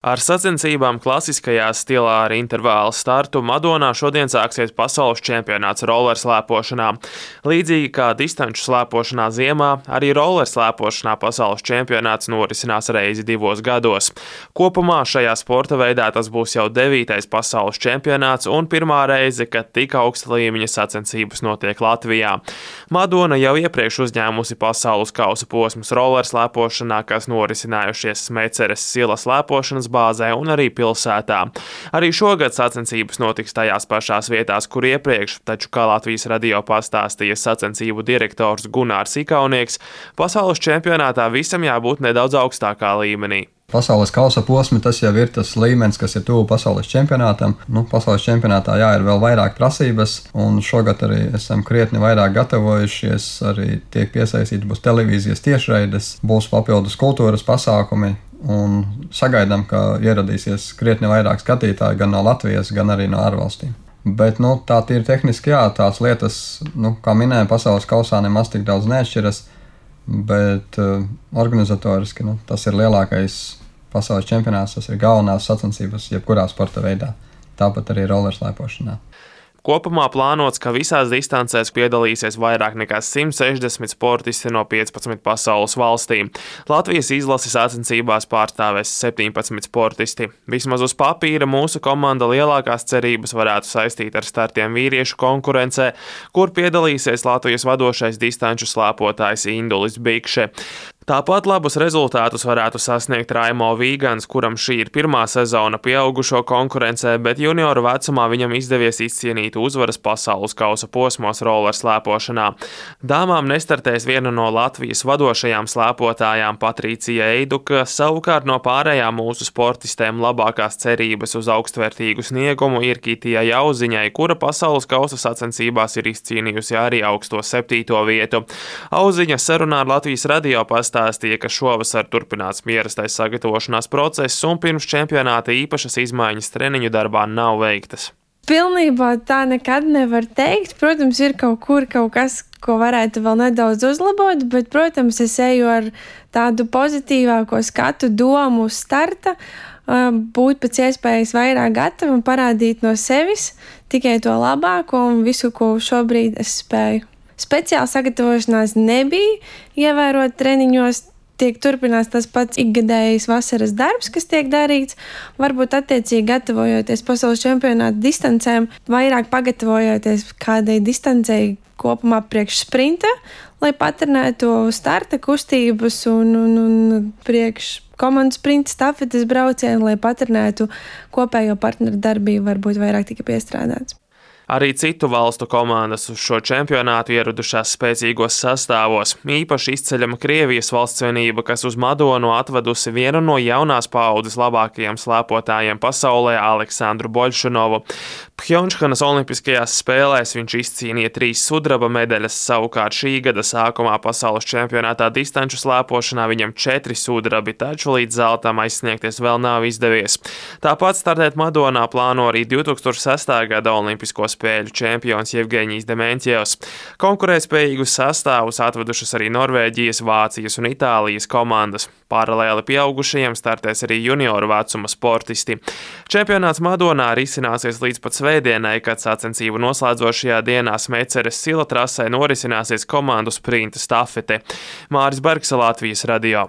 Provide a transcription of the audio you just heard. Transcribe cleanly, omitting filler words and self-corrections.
Ar sacensībām klasiskajā stilā ar intervālu startu Madonā šodien sāksies pasaules čempionāts rollerslēpošanā. Līdzīgi kā distanču slēpošanā ziemā, arī rollerslēpošanā pasaules čempionāts norisinās reizi 2 gados. Kopumā šajā sporta veidā tas būs jau 9. pasaules čempionāts un pirmā reize, kad tik augsta līmeņa sacensības notiek Latvijā. Madona jau iepriekš uzņēmusi pasaules kausa posmus rollerslēpošanā, kas norisinājušies Smeceres Silas slēpošanas bāzē un arī pilsētā. Arī šogad sacensības notiks tajās pašās vietās, kur iepriekš, taču, kā Latvijas radio pastāstīja sacensību direktors Gunārs Ikaunieks, pasaules čempionātā visam jābūt nedaudz augstākā līmenī. Pasaules kausa posmi, tas jau ir tas līmenis, kas ir tuvu pasaules čempionātam. Pasaules čempionātā ir vēl vairāk prasības, un šogad arī esam krietni vairāk gatavojušies, arī tiek piesaistīti būs televīzijas tiešraides, būs papildus kultūras pasākumi, un sagaidām, ka ieradīsies krietni vairāk skatītāji gan no Latvijas, gan arī no ārvalstīm. Bet tā ir tehniski, tās lietas, kā minēja, pasaules kausā nemaz tik daudz neatšķiras, bet organizatoriski tas ir lielākais pasaules čempionāts, tas ir galvenās sacensības jebkurā sporta veidā, tāpat arī rollerslēpošanā. Kopumā plānots, ka visās distancēs piedalīsies vairāk nekā 160 sportisti no 15 pasaules valstīm. Latvijas izlases sacensībās pārstāvēs 17 sportisti. Vismaz uz papīra mūsu komanda lielākās cerības varētu saistīt ar startiem vīriešu konkurencē, kur piedalīsies Latvijas vadošais distanču slēpotājs Indulis Bikše. Tāpat labus rezultātus varētu sasniegt Raimo Vīgans, kuram šī ir pirmā sezona pieaugušo konkurencē, bet junioru vecumā viņam izdevies izcīnīt uzvaras pasaules kausa posmos rollerslēpošanā. Dāmām nestartēs viena no Latvijas vadošajām slēpotājām Patricija Eiduka, savukārt no pārējām mūsu sportistēm labākās cerības uz augstvērtīgu sniegumu ir Kitijai Auziņai, kura pasaules kausa sacensībās ir izcīnījusi arī augsto 7. vietu. Auziņa sarunā ar Latvijas radio pastāstīja, ka šovasar turpināts ierastais sagatavošanās process un pirms čempionāta īpašas izmaiņas treniņu darbā nav veiktas. Pilnībā tā nekad nevar teikt. Protams, ir kaut kas, ko varētu vēl nedaudz uzlabot, bet, protams, es eju ar tādu pozitīvāko skatu domu uz starta, būt pēc iespējas vairāk gatavu un parādīt no sevis tikai to labāko un visu, ko šobrīd es spēju. Speciāli sagatavošanās nebija, ievērot treniņos, tiek turpinās tas pats ikgadējais vasaras darbs, kas tiek darīts. Varbūt attiecīgi gatavojoties pasaules čempionāta distancēm, vairāk pagatavojoties kādai distancei kopumā priekš sprinta, lai patrenētu starta kustības un priekš komandas sprinta stafetes braucienu, lai patrenētu kopējo partneru darbību, varbūt vairāk tika piestrādāts. Arī citu valstu komandas uz šo čempionātu ieradušās spēcīgos sastāvos. Īpaši izceļama Krievijas valstsvienība, kas uz Madonu atvedusi vienu no jaunās paaudzes labākajiem slēpotājiem pasaulē Aleksandru Boļšunovu. Pjončhanas olimpiskajās spēlēs viņš izcīnīja 3 sudraba medaļas, savukārt šī gada sākumā pasaules čempionātā distanču slēpošanā viņam 4 sudrabi, taču līdz zeltam aizsniegties vēl nav izdevies. Tāpat startēt Madonā plāno arī 2006. gada olimpisko spēļu čempions Jevgeņijs Dementjevs. Konkurētspējīgus sastāvus atvedušas arī Norvēģijas, Vācijas un Itālijas komandas. Paralēli pieaugušajiem startēs arī junioru vecuma sportisti. Čempionāts Madonā risināsies līdz pat svētdienai, kad sacensību noslēdzošajā dienā Smeceres Sila trasē norisināsies komandu sprinta stafete. Māris Bergs, Latvijas radio.